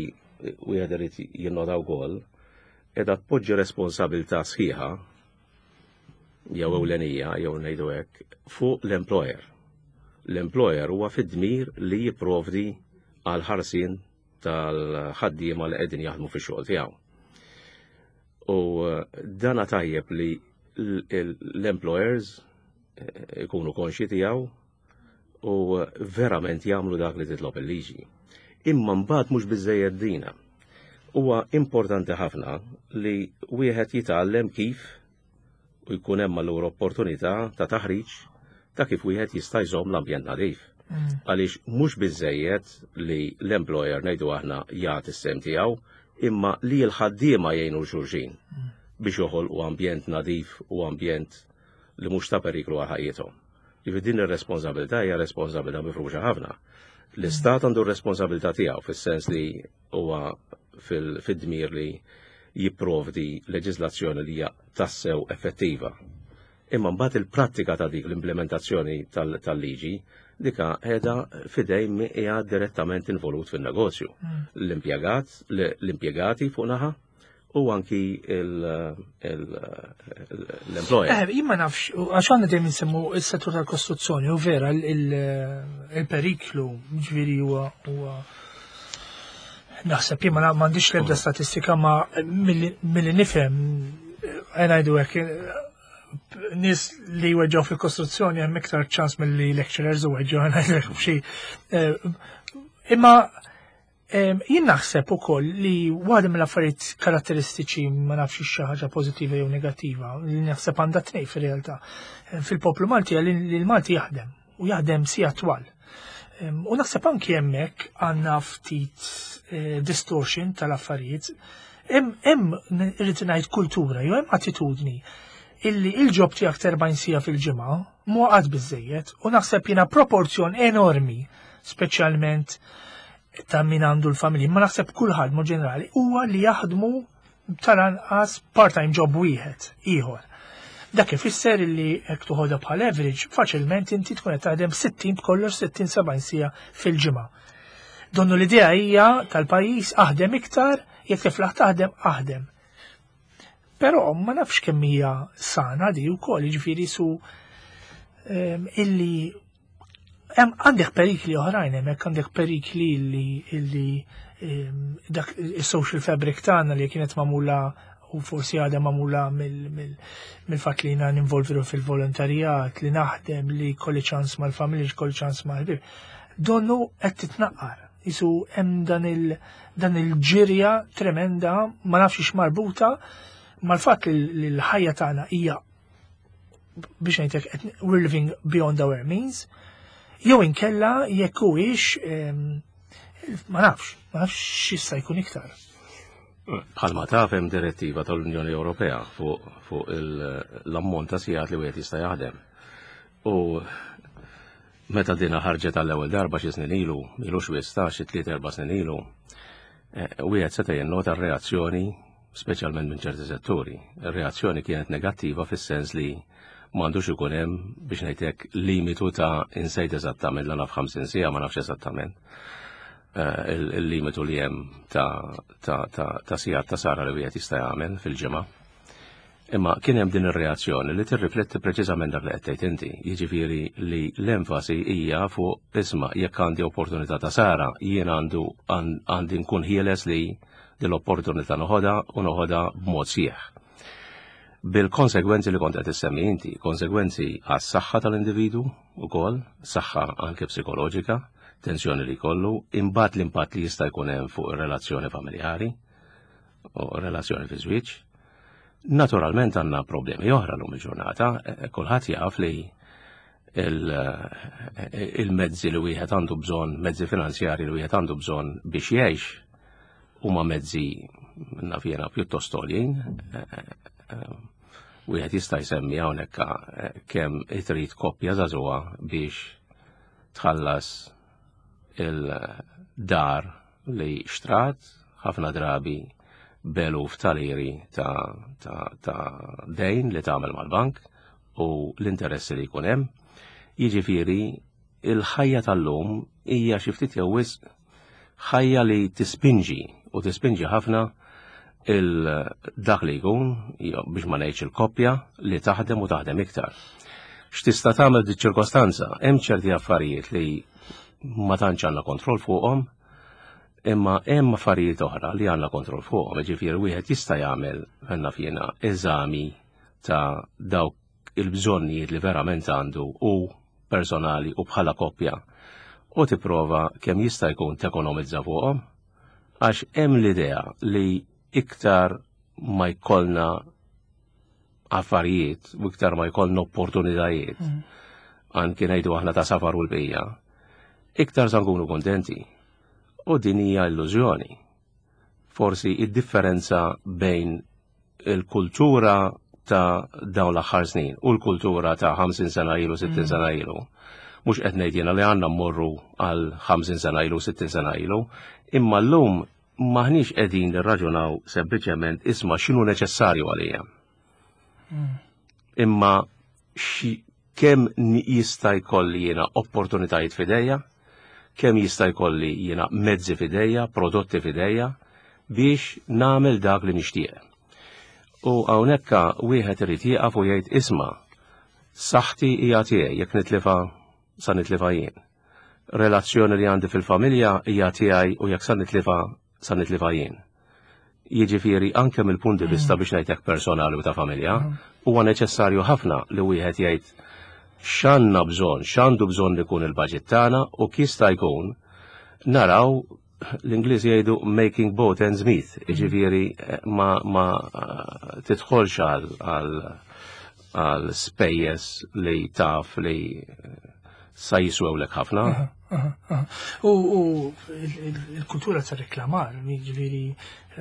wieħed irid jinnota wkoll, qiegħda tpoġġi responsabilità sħiħa jew ewlenija, jew ngħidu hekk, fuq l-employer. L-employer huwa fid-dmir li jipprovdi għal ħarsien tal-ħaddiema li qegħdin jaħdmu fix-xogħol tiegħu. U eh, dana tajjeb li l- l- l-employers eh, ikunu konxi tiegħu u verament jagħmlu dak li titlob il-liġi. Imma mbagħad mhux biżejjed dina. Huwa importanti ħafna li wieħed jitgħallem kif u jkun hemm allura opportunità ta' taħriġ ta' kif wieħed jista' jżomm l-ambjent nadif. Għaliex mhux biżejjed li l-employer, ngħidu aħna, jagħti s-sehem tiegħu, imma li l-ħaddiema jgħinu xulxin biex joħolqu ambjent nadif u ambjent li mhux ta' periklu għal ħajjithom. Jiġifieri din ir-responsabilità hija responsabilità mifruxa ħafna. L-Istat għandu r-responsabilità tiegħu fis-sens li huwa fil-dmir li jipprovdi leġiżlazzjoni li hija tassew effettiva. Imma mbagħad il-prattika ta' dik l-implementazzjoni tal-liġi dika qiegħda f'idejn min hija direttament involut fin-negozju. L-impjegat, l-impjegati fuq naħa u anki l-employer. Eh, jien ma nafx, għax għandna dejjem nsemmu il-settur tal-kostruzzjoni, u vera il-periklu ġifieri huwa huwa naħseb jien ma m'għandix l-ebda statistika, ma milli nifhem, ngħidu hekk, nies li weġġaw fil-kostruzzjoni hemm iktar ċans milli lecturers u weġġaw, ngħidlek xi. Imma Jien naħseb ukoll li waħda mill-affarijiet karatteristiċi, ma nafx xi ħaġa pożittiva jew negattiva, li naħseb għandha tnejn fir-realtà. Fil-poplu Malti li l-Malti jaħdem u jaħdem sigħat twal. U naħseb anki hemmhekk għandna ftit eh, distortion tal-affarijiet. Hemm, irrid ngħid, kultura jew hemm attitudni illi il-job tiegħek erbgħin siegħa fil-ġimgħa mhu qatt biżejjed u naħseb jiena proporzjon enormi, speċjalment ta' min għandu l-familji, ma naħseb kulħadd mod ġenerali, huwa li jaħdmu tal-anqas part-time job wieħed ieħor. Dak ifisser li jekk toħodha bħal average, faċilment inti tkun qed taħdem sittin b'kollox, sittin sebgħin siegħa fil-ġimgħa. Donnu l-idea hija tal-pajjiż aħdem iktar, jekk tiflaħ taħdem, aħdem. Però ma nafx kemm hija sana di wkoll, jiġifieri su ehm, illi hemm għandek perikli oħrajn hemmhekk, għandek perikli illi illi ehm, dak is-social fabric tagħna li kienet magħmula u forsi għadha magħmula mill-fatt li jiena ninvolvi fil-volontarjat, li naħdem, li kolli ċans mal-familja, kolli ċans mal-ħbieb. Donnu qed titnaqqar. Isu hemm dan il dan il-ġirja tremenda, ma nafx marbuta mal-fatt li l-ħajja tagħna hija, biex ngħidlek, we're living beyond our means, jew inkella jekk huwiex, ma nafx, ma nafx x'issa jkun iktar. Bħalma taf, hemm direttiva tal-Unjoni Ewropea fuq fu l-ammont ta' sigħat li wieħed jista' jaħdem. U meta dina ħarġet għall-ewwel darba xi snin ilu, ilux wista xi tliet erba' snin ilu, eh, wieħed seta' jinnota r-reazzjoni, speċjalment minn ċerti setturi. Ir-reazzjoni kienet negattiva fis-sens li m'għandux ikun hemm, biex ngħidlek, limitu ta', insejt eżattament, la naf ħamsin siegħa, ma nafx eżattament eh, il-limitu li hemm ta' ta' ta' ta' sigħat ta' sahra li wieħed jista' jagħmel fil-ġimgħa. Imma kien hemm din ir-reazzjoni li tirrifletti preċiżament dak li qed tgħid inti, jiġifieri li l-enfasi hija fuq isma', jekk għandi opportunità ta' sahra, jien għandu għandi nkun ħieles li din l-opportunità noħodha u noħodha b'mod sħiħ. Bil-konsegwenzi li kont qed issemmi inti, konsegwenzi għas-saħħa tal-individu ukoll, saħħa anke psikoloġika, tensjoni li jkollu, imbagħad l-impatt li jista' jkun hemm fuq ir-relazzjoni familjari u relazzjoni fi żwieġ. Naturalment għandna problemi oħra l-lum il-ġurnata, e, kulħadd jaf li il-mezzi li wieħed għandu bżonn, mezzi finanzjari li wieħed għandu bżonn biex jgħix, huma mezzi, naf jiena, pjuttost għoljin. Wieħed jista' jsemmi hawnhekk kemm trid koppja żagħżugħa biex tħallas il-dar li xtrat, ħafna drabi b'eluf ta' liri ta', ta, ta dejn li tagħmel mal-bank u l-interessi li jkun hemm. Jiġifieri il-ħajja tal-lum hija xi ftit jew wisq ħajja li tispinġi u tispinġi ħafna il-dak li jkun, biex ma ngħidx il-koppja, li taħdem u taħdem iktar. X'tista' tagħmel di ċirkostanza? Hemm ċerti affarijiet li ma tantx għandna kontroll fuqhom, imma hemm affarijiet oħra li għandna kontroll fuqhom, jiġifieri wieħed jista' jagħmel, naf jiena, eżami ta' dawk il-bżonnijiet li verament għandu u personali u bħala koppja u tipprova kemm jista' jkun tekonomizza fuqhom, għax hemm l-idea li iktar ma jkollna affarijiet u iktar ma jkollna opportunitajiet, mm. anki ngħidu aħna ta' safar u l-bqija, iktar sa nkunu kontenti. U din hija illużjoni. Forsi id-differenza bejn il-kultura ta' dawn l-aħħar snin u l-kultura ta' ħamsin sena ilu, sittin mm. sena ilu. Mhux qed ngħid jiena li għandna mmorru għal ħamsin sena ilu, sittin sena ilu, imma llum maħniex qegħdin nirraġunaw sempliċement isma' x'inhu neċessarju għalija. Mm. Imma kemm jista' jkolli jiena opportunitajiet f'idejja, kemm jista' jkolli jiena mezzi f'idejja, prodotti f'idejja biex nagħmel dak li nixtieq. U hawnhekk wieħed irid jieqaf u jgħid, isma', saħħti hija tiegħi, jekk nitlifa sa nitlifa jien. Relazzjoni li għandi fil-familja hija tiegħi u jekk sa nitlifa sa nitlifa jien. Jiġifieri anke mill-punt di vista, mm. biex ngħidlek, personali u ta' familja, mm. huwa neċessarju ħafna li wieħed jgħid x'għandna bżonn, x'għandu bżonn ikun il-budget tagħna u kif jista' jkun naraw L-Ingliżi jgħidu "making both ends meet", jiġifieri ma, ma tidħolx għal għal spejjeż li taf li sa jiswewlek ħafna. U il-kultura ta' reklamar, jiġifieri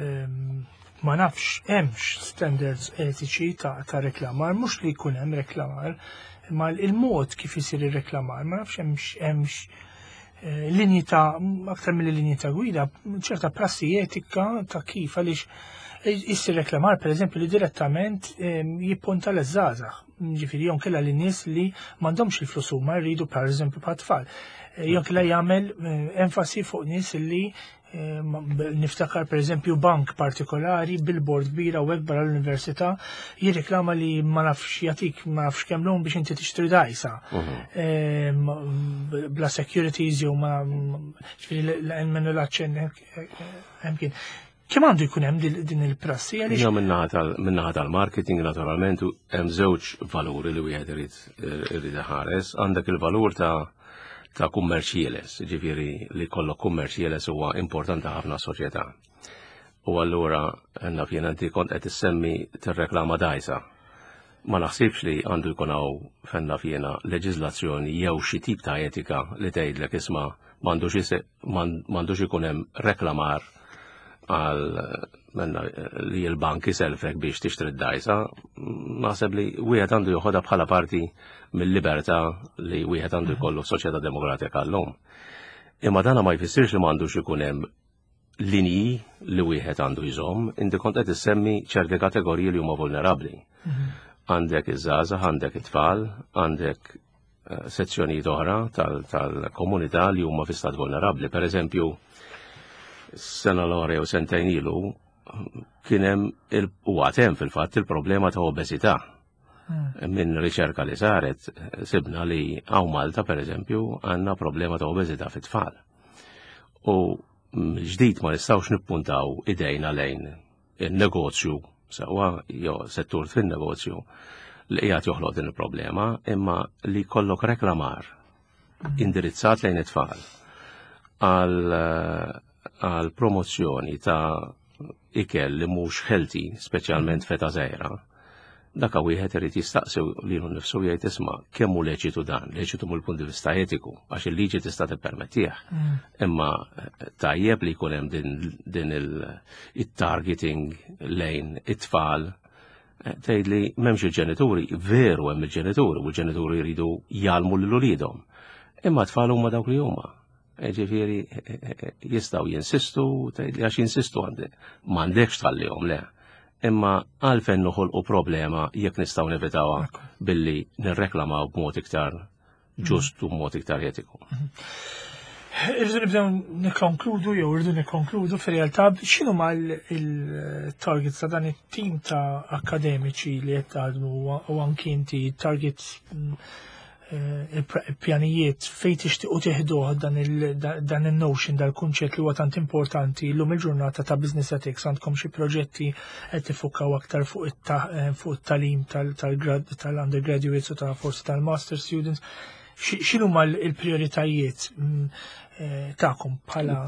ehm, ma nafx hemmx standards etiċi ta' reklamar, mhux li jkun hemm reklamar, ma il-mod kif isir ir-reklamar, ma nafx hemmx hemmx eh, linji ta' aktar mill-linji ta' gwida, ċerta prassi etika ta' kif, għaliex issir reklamar, per eżempju, li direttament ehm, jippunta l-żgħażagħ. Ġifieri jew inkella lin-nies li m'għandhomx il-flus huma jridu, per eżempju, tfal. Eh, jew inkella jagħmel eh, enfasi fuq nies li eh, niftakar, per eżempju, bank partikolari, billboard kbira u barra l-università, jirreklama li ma nafx jatik ma nafx kemm loan biex inti tixtri dgħajsa. Mhm. Bla securities jew ma ġifieri l-minnu l-aċċenn hemm kien. Kemm għandu jkun hemm din il-prassi? Għaliex min-naħa tal-marketing, naturalment, hemm żewġ valuri li wieħed irid irid iħares. Għandek il-valur ta' ta' kummerċ ħieles, ġifieri li kollok kummerċ ħieles huwa importanti ħafna soċjetà. U allura naf jien, inti kont qed issemmi tirreklama dgħajsa. Ma naħsibx li għandu jkun hawn fenna fjena leġiżlazzjoni jew xi tip ta' etika li tgħidlek, "Isma', m'għandux ikun hemm reklamar għal menna li l-bank iselfek biex tixtri d-dgħajsa." Naħseb li wieħed għandu joħodha bħala parti mill-libertà li wieħed għandu jkollu f'soċjetà demokratika llum. Imma dana ma jfissirx li m'għandux ikun hemm linji li wieħed għandu jżomm. Inti kont qed issemmi ċerti kategoriji li huma vulnerabbli. Mhm. Għandek iż-żgħażagħ, għandek it-tfal, għandek eh, sezzjonijiet oħra tal-komunità li huma fi stat vulnerabbli. Per eżempju, sena l jew sentejn ilu kien hemm u għad hemm fil-fatt il-problema ta' obeżità. Hmm. Minn riċerka li saret, sibna li hawn Malta, per eżempju, għandna problema ta' obeżità fit-tfal. U ġdid ma nistgħux nippuntaw idejna lejn il-negozju, sewwa, jew settur fin-negozju li qiegħed joħloq din il-problema, imma li kollok reklamar hmm. indirizzat lejn it-tfal għal għal promozzjoni ta' ikel li mhux healthy, speċjalment f'età żgħira, daka wieħed irid jistaqsi lilu nnifsu jgħid, "Isma', kemm hu leċitu dan?" Leċitu mill-punt di vista etiku, għax il-liġi tista' tippermettih. Mm. Imma tajjeb li jkun hemm din, din il-targeting lejn it-tfal? Eh, tgħid li m'hemmx il-ġenituri, veru, hemm il-ġenituri u l-ġenituri jridu jgħallmu lil uliedhom. Imma tfal huma dawk li huma. Ġifieri, jistgħu jinsistu, tgħid li għax jinsistu għandi. M'għandekx tħallihom, le. Imma għalfejn noħolqu problema jekk nistgħu nevitawha billi nirreklamaw b'mod iktar ġust u b'mod iktar etiku? Irridu nibdew nikkonkludu, jew irridu nikkonkludu fir-realtà. X'inhuma il-targets ta' dan it-tim ta' akademiċi li qed taħdmu u anki inti, targets, mm, eh, il-pjanijiet fejn tixtiequ tieħduh dan il-notion, dal-kunċett li huwa tant importanti llum il-ġurnata ta' business ethics? Għandkom xi proġetti qed tiffukaw aktar fuq eh, it-tagħlim tal-undergraduates u ta' forsi tal-master students? X'inhuma l-prioritajiet mm, eh, tagħkom bħala?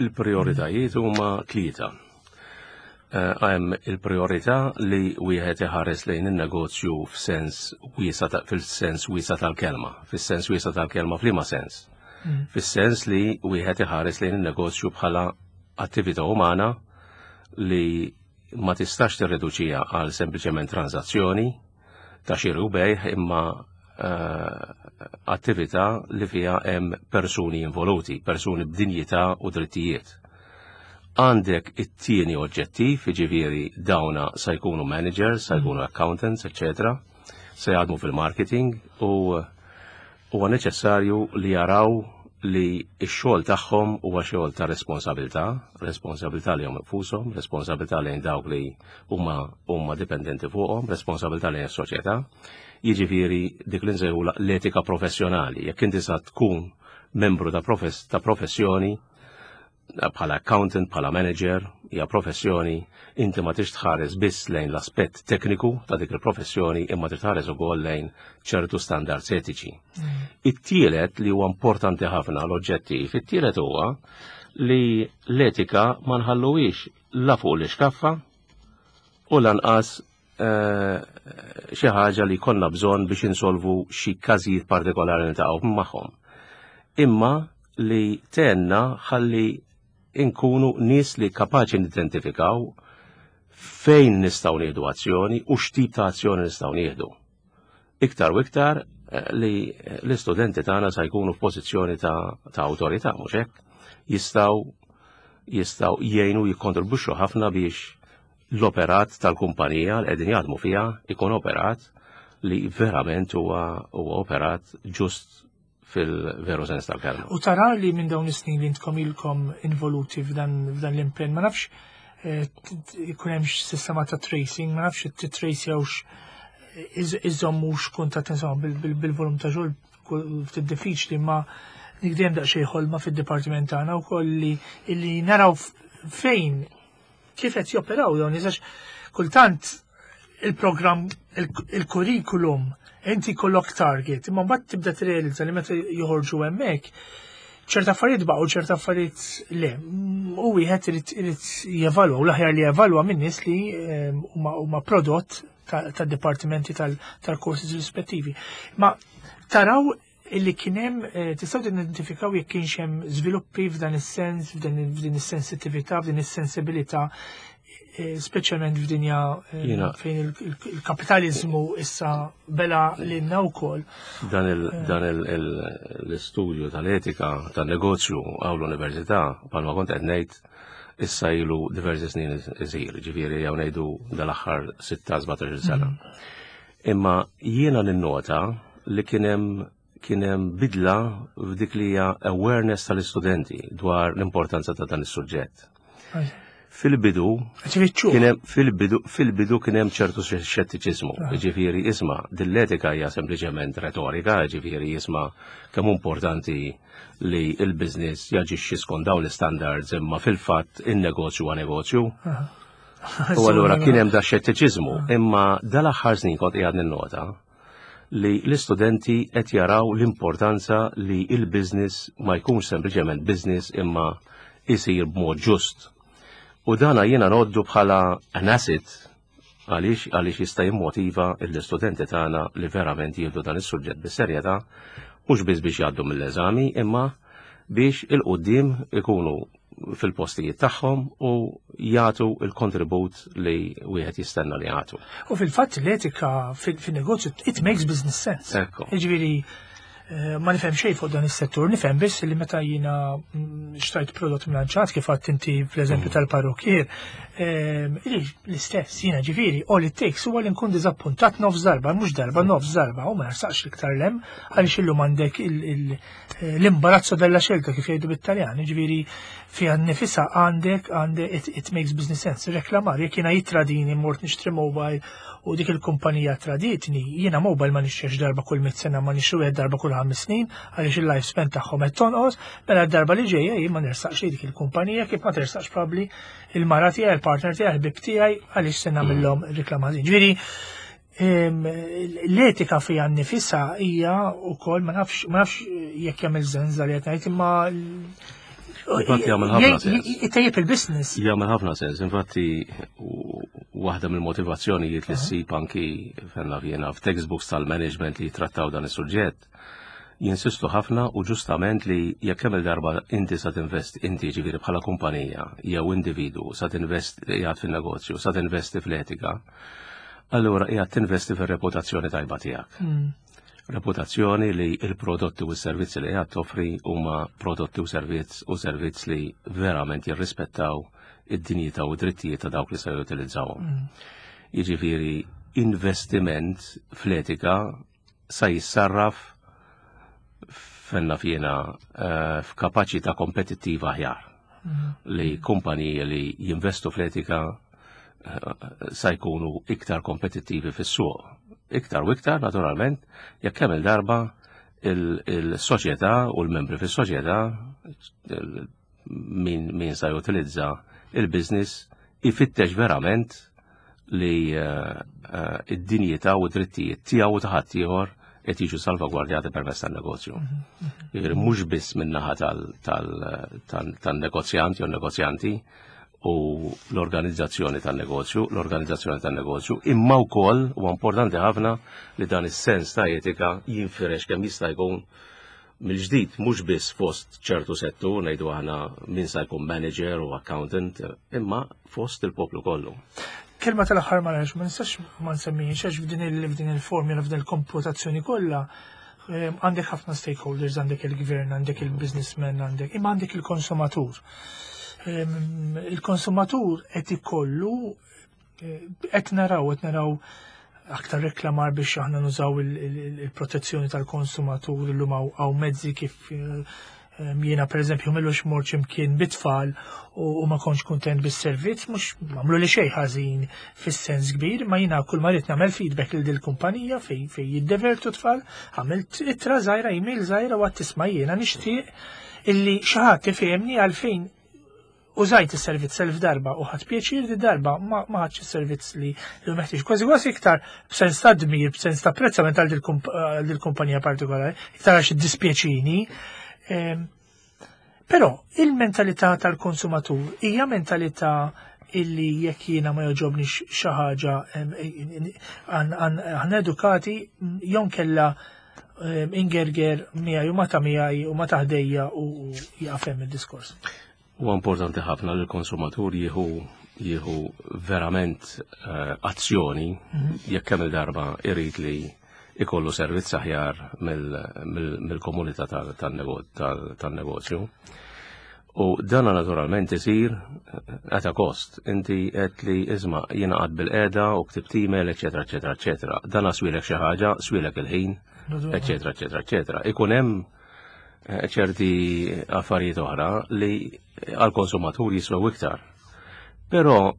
Il-prioritajiet huma tlieta. Eh, hemm il-priorità li wieħed iħares lejn in-negozju f'sens wiesa, fil-sens wiesa tal-kelma. Fis-sens wiesa tal-kelma f'liema sens? Mm. Fis-sens li wieħed iħares lejn in-negozju bħala attività umana li ma tistax tirreduċija għal sempliċement transazzjoni ta' xiri u bejgħ, imma eh, attività li fiha hemm persuni involuti, persuni b'dinjità u drittijiet. Għandek it-tieni oġġettiv, jiġifieri dawna sa jkunu managers, sa jkunu accountants, eccetera, se jaħdmu fil-marketing u huwa neċessarju li jaraw li x-xogħol tagħhom huwa xogħol ta' responsabilità, responsabilità lejhom infushom, responsabilità lejn dawk li huma huma dipendenti fuqhom, responsabilità lejn is-soċjetà. Jiġifieri dik li nsejħu l-etika professjonali. Jekk inti sa tkun membru ta' profess ta' professjoni bħala accountant, bħala manager, hija professjoni, inti ma tix tħares biss lejn l-aspett tekniku ta' dik il-professjoni, imma trid tħares ukoll lejn ċertu standards etiċi. Mm. It-tielet li huwa importanti ħafna, l-oġġettiv, it-tielet huwa Li l-etika ma nħalluhiex la fuq l-iskaffa u lanqas eh, xi ħaġa li konna bżonn biex insolvu xi każijiet partikolari niltaqgħu magħhom. Imma li tgħinna ħalli inkunu nies li kapaċi nidentifikaw fejn nistgħu nieħdu azzjoni u x'tip ta' azzjoni nistgħu nieħdu. Iktar u iktar eh, li l-istudenti tagħna sa jkunu f'pożizzjoni ta', ta' awtorità, mhux hekk? Jistgħu jistgħu jgħinu, jikkontribwixxu ħafna biex l-operat tal-kumpanija li qegħdin jaħdmu fiha ikun operat li verament huwa huwa operat ġust fil-veru sens tal-kelma. U tara li minn dawn is-snin li intkom ilkom involuti f'dan f'dan l-impenn, ma nafx eh, ikun hemm sistema ta' tracing, ma nafx titracjawx, iżommux kuntatt, insomma, bil-volum ta' xogħol ftit diffiċli, ma nikdem daqsxejn ħolma fid-dipartiment tagħna wkoll li illi naraw fejn kif qed joperaw dawn, għax kultant il-programm, il-kurrikulum, inti kollok target, imma mbagħad tibda tirrealizza li meta joħorġu hemmhekk ċerta affarijiet baqgħu, ċerta affarijiet le. U wieħed irid irid jevalwa, u l-aħjar li jevalwa minn nies li ehm, huma prodott tad-dipartimenti tal-courses rispettivi. Ma taraw illi kien hemm, eh, tistgħu tidentifikaw jekk kienx hemm żviluppi f'dan is-sens, f'din is-sensittività, f'din is-sensibilità, eh, speċjalment f'dinja eh, fejn il-kapitalizmu issa bela lilna wkoll? Dan l-istudju tal-etika tan-negozju hawn l-università, bħalma kont qed ngħid, issa ilu diversi snin iżir, ġifieri jew ngħidu dal-aħħar sittax sbatax-il sena. Mm. Imma jiena ninnota li kien hemm kien hemm bidla f'dik li hija awareness tal-istudenti dwar l-importanza ta' dan is-suġġett. Fil-bidu, fil-bidu, fil-bidu kien hemm ċertu xettiċiżmu, ah. ġifieri isma' dil-etika hija sempliċement retorika, ġifieri isma' kemm importanti li il-business jaġixxi skont dawn l-standards, imma fil-fatt in-negozju huwa negozju. Ah. U allura kien hemm da xettiċiżmu, ah. imma dal-aħħar snin kont qiegħed ninnota li l-istudenti qed jaraw l-importanza li il-business ma jkunx sempliċement business imma isir b'mod ġust. U dana jiena ngħoddu bħala an asset għaliex għaliex jista' jimmotiva l-istudenti tagħna li verament jieħdu dan is-suġġett bis-serjetà, mhux biss biex jgħaddu mill-eżami, imma biex 'il quddiem ikunu fil-postijiet tagħhom u jagħtu il-kontribut li wieħed jistenna li jagħtu. U fil-fatt l-etika fil-negozju, it makes business sense. Ekku. Jiġifieri eh, ma nifhem xejn fuq dan is-settur, nifhem biss li meta jiena mm, xtrajt prodott mlanċat, kif għedt inti fl-eżempju mm. tal-parrukier, ehm, l-istess jiena, ġifieri all it takes huwa li nkun diżappuntat nofs darba, mhux darba, nofs darba, u ma narsaqx l-iktar lem, għaliex illum għandek l-imbarazzo della scelta, kif jgħidu bit-Taljan, ġifieri fiha nifisha għandek għandek it, it makes business sense. Reklamar, jekk jiena jitradini, mort nixtri mobile u dik il-kumpanija traditni, jiena mobile ma nixtrix darba kull mit sena, ma nixtri wieħed darba kull ħames snin, għaliex il-lifespan tagħhom qed tonqos, mela d-darba li ġejja jien ma nersaqx dik il-kumpanija, kif ma tersaqx probabbli il-mara tiegħi, il-partner tiegħi, il-ħbieb tiegħi, għaliex se nagħmilhom reklam ħażin. Ġifieri l-etika fija nifisha hija wkoll, ma nafx ma nafx jekk jagħmel sens li qed ngħid, imma Infatti jagħmel ħafna sens. Itejjeb il-business. Jagħmel ħafna sens. Infatti waħda mill-motivazzjonijiet li ssib anki fenna fjena f'textbooks tal-management li jitrattaw dan is-suġġett, jinsistu ħafna u ġustament li jekk kemm il-darba inti sa tinvesti, inti ġifieri bħala kumpanija jew individu sa tinvesti, qiegħed fin-negozju, sa tinvesti fl-etika, allura qiegħed tinvesti fir-reputazzjoni tajba tiegħek. Mm. Reputazzjoni li il-prodotti u s-servizzi li qiegħed toffri huma prodotti u servizz u servizz li verament jirrispettaw id-dinjità u drittijiet ta' dawk li se jutilizzawhom. Mm. Jiġifieri investiment fl-etika sa jissarraf fenna fjena eh, f'kapaċità kompetittiva aħjar. Mm. Li kumpaniji li jinvestu fl-etika eh, sa jkunu iktar kompetittivi fis-suq. Iktar u iktar, naturalment, jekk kemm il-darba il-soċjetà u l-membri fis-soċjetà, min, min sa jutilizza il-business, ifittex verament li uh, uh, id-dinjità u drittijiet tiegħu u ta' ħaddieħor qed jiġu salvagwardjati permezz tan-negozju. Jiġifieri mhux biss min-naħa tan-negozjant jew negozjanti u l-organizzazzjoni tan-negozju, l-organizzazzjoni tan-negozju, imma wkoll huwa importanti ħafna li dan is-sens ta' etika jinfirex kemm jista' jkun mill-ġdid, mhux biss fost ċertu settur, ngħidu aħna min sa jkun manager u accountant, imma fost il-poplu kollu. Kelma tal-aħħar, ma nafx, ma nistax ma nsemmihiex, għax f'din il- f'din il-formula, f'din il-komputazzjoni kollha, ehm, għandek ħafna stakeholders, għandek il-gvern, għandek il-businessman, għandek, imma għandek il-konsumatur. Ehm, Il-konsumatur qed ikollu eh, qed naraw qed naraw aktar reklamar biex aħna nużaw il- il- il-protezzjoni tal-konsumatur. Illum hawn hawn mezzi kif eh, em, jiena per eżempju m'ilux mort imkien bit-tfal u u ma kontx kontent bis-servizz, mhux m'għamlu li xejn ħażin fis-sens kbir, ma jiena kull ma rrid nagħmel feedback lil dil-kumpanija fej fej jiddevertu tfal, għamilt ittra żgħira, email żgħira u għedt, "Isma', jiena nixtieq illi xi ħadd ifehemni għalfejn użajt is-servizz elf darba u ħadt pjaċir, di darba ma ma ħadx is-servizz li li meħtieġ." Kważi kważi iktar b'sens ta' dmir, b'sens ta' apprezzament għal dil-kumpanija partikolari, iktar għax iddispjaċini. Ehm, Però il-mentalità tal-konsumatur hija mentalità illi jekk jiena ma jogħġobnix xi ħaġa, aħna edukati jew kella ingerger miegħi u ma ta' miegħi u ma ta' ħdejja u jaqfem id-diskors? Huwa importanti ħafna li l-konsumatur jieħu jieħu verament eh, azzjoni jekk kemm il-darba irid li ikollu servizz aħjar mill-komunità tan-negozju. U dana naturalment isir at a cost. Inti qed li, isma', jiena qgħadt bilqiegħda u ktibt email, eċetera, eċetera, eċetera. Dana swielek xi ħaġa, swielek il-ħin, eċetera, eċetera, eċetera. Ikun hemm eh, ċerti affarijiet oħra li għal-konsumatur jiswew iktar. Però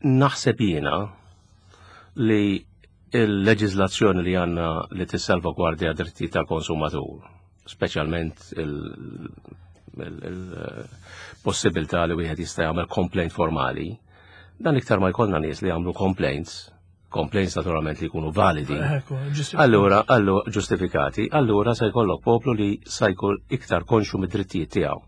naħseb jiena li il-leġizlazzjoni li għandna li tissalvagwardja dritti tal-konsumatur, speċjalment il-possibilità li wieħed jista' jagħmel complaint formali, dan iktar ma jkollna nies li jagħmlu complaints, complaints naturalment li jkunu validi. Allura, allura ġustifikati, allura se jkollok poplu li se jkun iktar konxu mid-drittijiet tiegħu.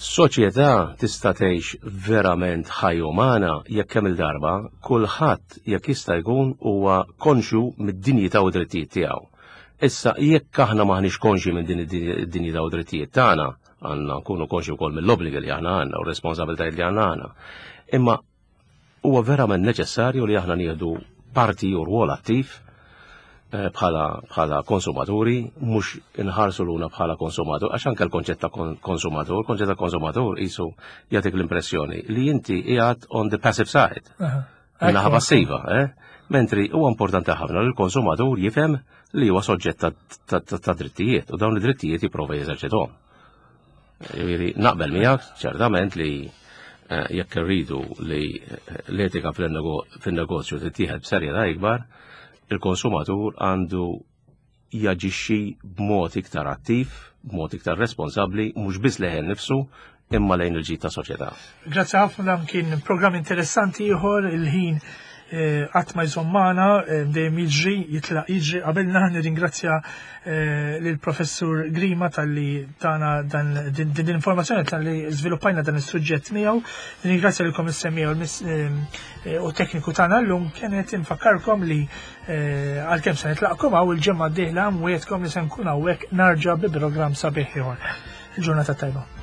Soċjetà tista' tgħix verament ħajja umana jekk kemm il-darba kulħadd, jekk jista' jkun, huwa konxu mid-dinjità u drittijiet tiegħu. Issa, jekk aħna maħniex konxi minn din id-dinjità u drittijiet tagħna, għandna nkunu konxi wkoll mill-obbligi li aħna għandna u responsabilitajiet li għandna għandna. Imma huwa verament neċessarju li aħna nieħdu parti u rwol attiv eh, bħala bħala konsumaturi, mhux inħarsu luna bħala konsumatur, għax anke l-konċett ta' konsumatur, konċett ta' konsumatur qisu jagħtik l-impressjoni li inti qiegħed on the passive side. Naħa passiva, eh? Mentri huwa importanti ħafna li l-konsumatur jifhem li huwa soġġett ta' drittijiet u dawn id-drittijiet jipprova jeżerċithom. Jiġifieri naqbel miegħek ċertament li eh, jekk irridu li l-etika fin-negozju tittieħed b'serjetà ikbar, il-konsumatur għandu jaġixxi b'mod iktar attiv, b'mod iktar responsabbli, mhux biss lejn nifsu, imma lejn il-ġid ta' soċjetà. Grazzi ħafna, dan kien programm interessanti ieħor. Il-ħin eh, qatt ma jżomm magħna, eh, dejjem jiġri, jitlaq jiġri qabelna. Nirringrazzja eh, lill professur Grima talli tana dan din din l-informazzjoni, talli żviluppajna dan is-suġġett miegħu. Nirringrazzja lilkom is-semmiegħa u tekniku tagħna llum kienet. Infakkarkom li għalkemm se nitlaqkom hawn, il-ġimgħa d-dieħla nwiegħedkom li se nkun hawnhekk nerġa' bi programm sabiħ ieħor. Il-ġurnata tajba.